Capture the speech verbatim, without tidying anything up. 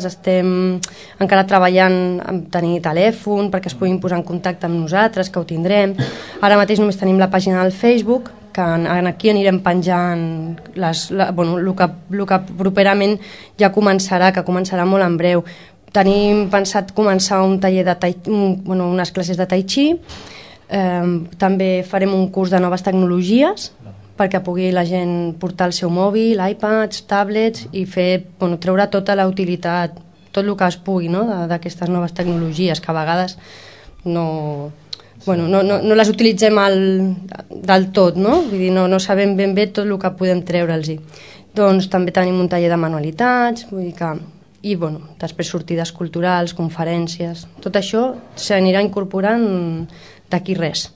Estem encara treballant en tenir telèfon perquè es puguin posar en contacte amb nosaltres, que ho tindrem. Ara mateix només tenim la pàgina del Facebook, que aquí anirem penjant les, la, bueno, el, que, el que properament ja començarà, que començarà molt en breu. Tenim pensat començar un taller de tai, un, bueno, unes classes de tai chi, eh, també farem un curs de noves tecnologies perquè pugui la gent portar el seu mòbil, iPads, tablets i fer, bueno, treure tota la utilitat, tot el que es pugui, no?, d'aquestes noves tecnologies que a vegades no, bueno, no, no, no les utilitzem al, del tot, no? Vull dir, no, no sabem ben bé tot el que podem treure'ls-hi. Doncs també tenim un taller de manualitats, vull dir que... I, bueno, després sortides culturals, conferències... Tot això s'anirà incorporant d'aquí res.